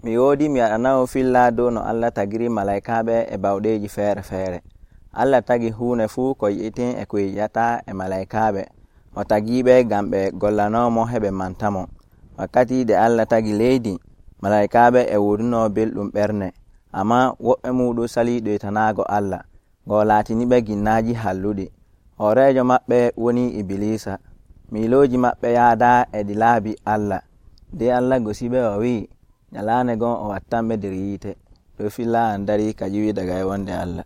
mi woodi mi waɗanawo filla dow no Allah tagiri malaikaaɓe e bawɗeeji feere-feere. Allah tagi huunde fuu ko yi'itin e ko yi'ata e malaikaaɓe. O tagiiɓe ngam ɓe gollanoomo heɓe mantamo. Wakkati de Allah tagi leydi, malaikaaɓe e woduno belɗum ɓernde, amma woɓɓe muuɗum salii ɗoytanaago Allah, ngo laatiniɓe ginnaaji halluɗi. Hooreejo maɓɓe woni Ibilisa. Miilooji maɓɓe yaada e ɗi laabi Allah. De Allah gosiɓe o wi'i, nyalaande gon o wattanɓe nder yiite. Ɗo filla an darii ka ƴiwi daga e wonde Allah.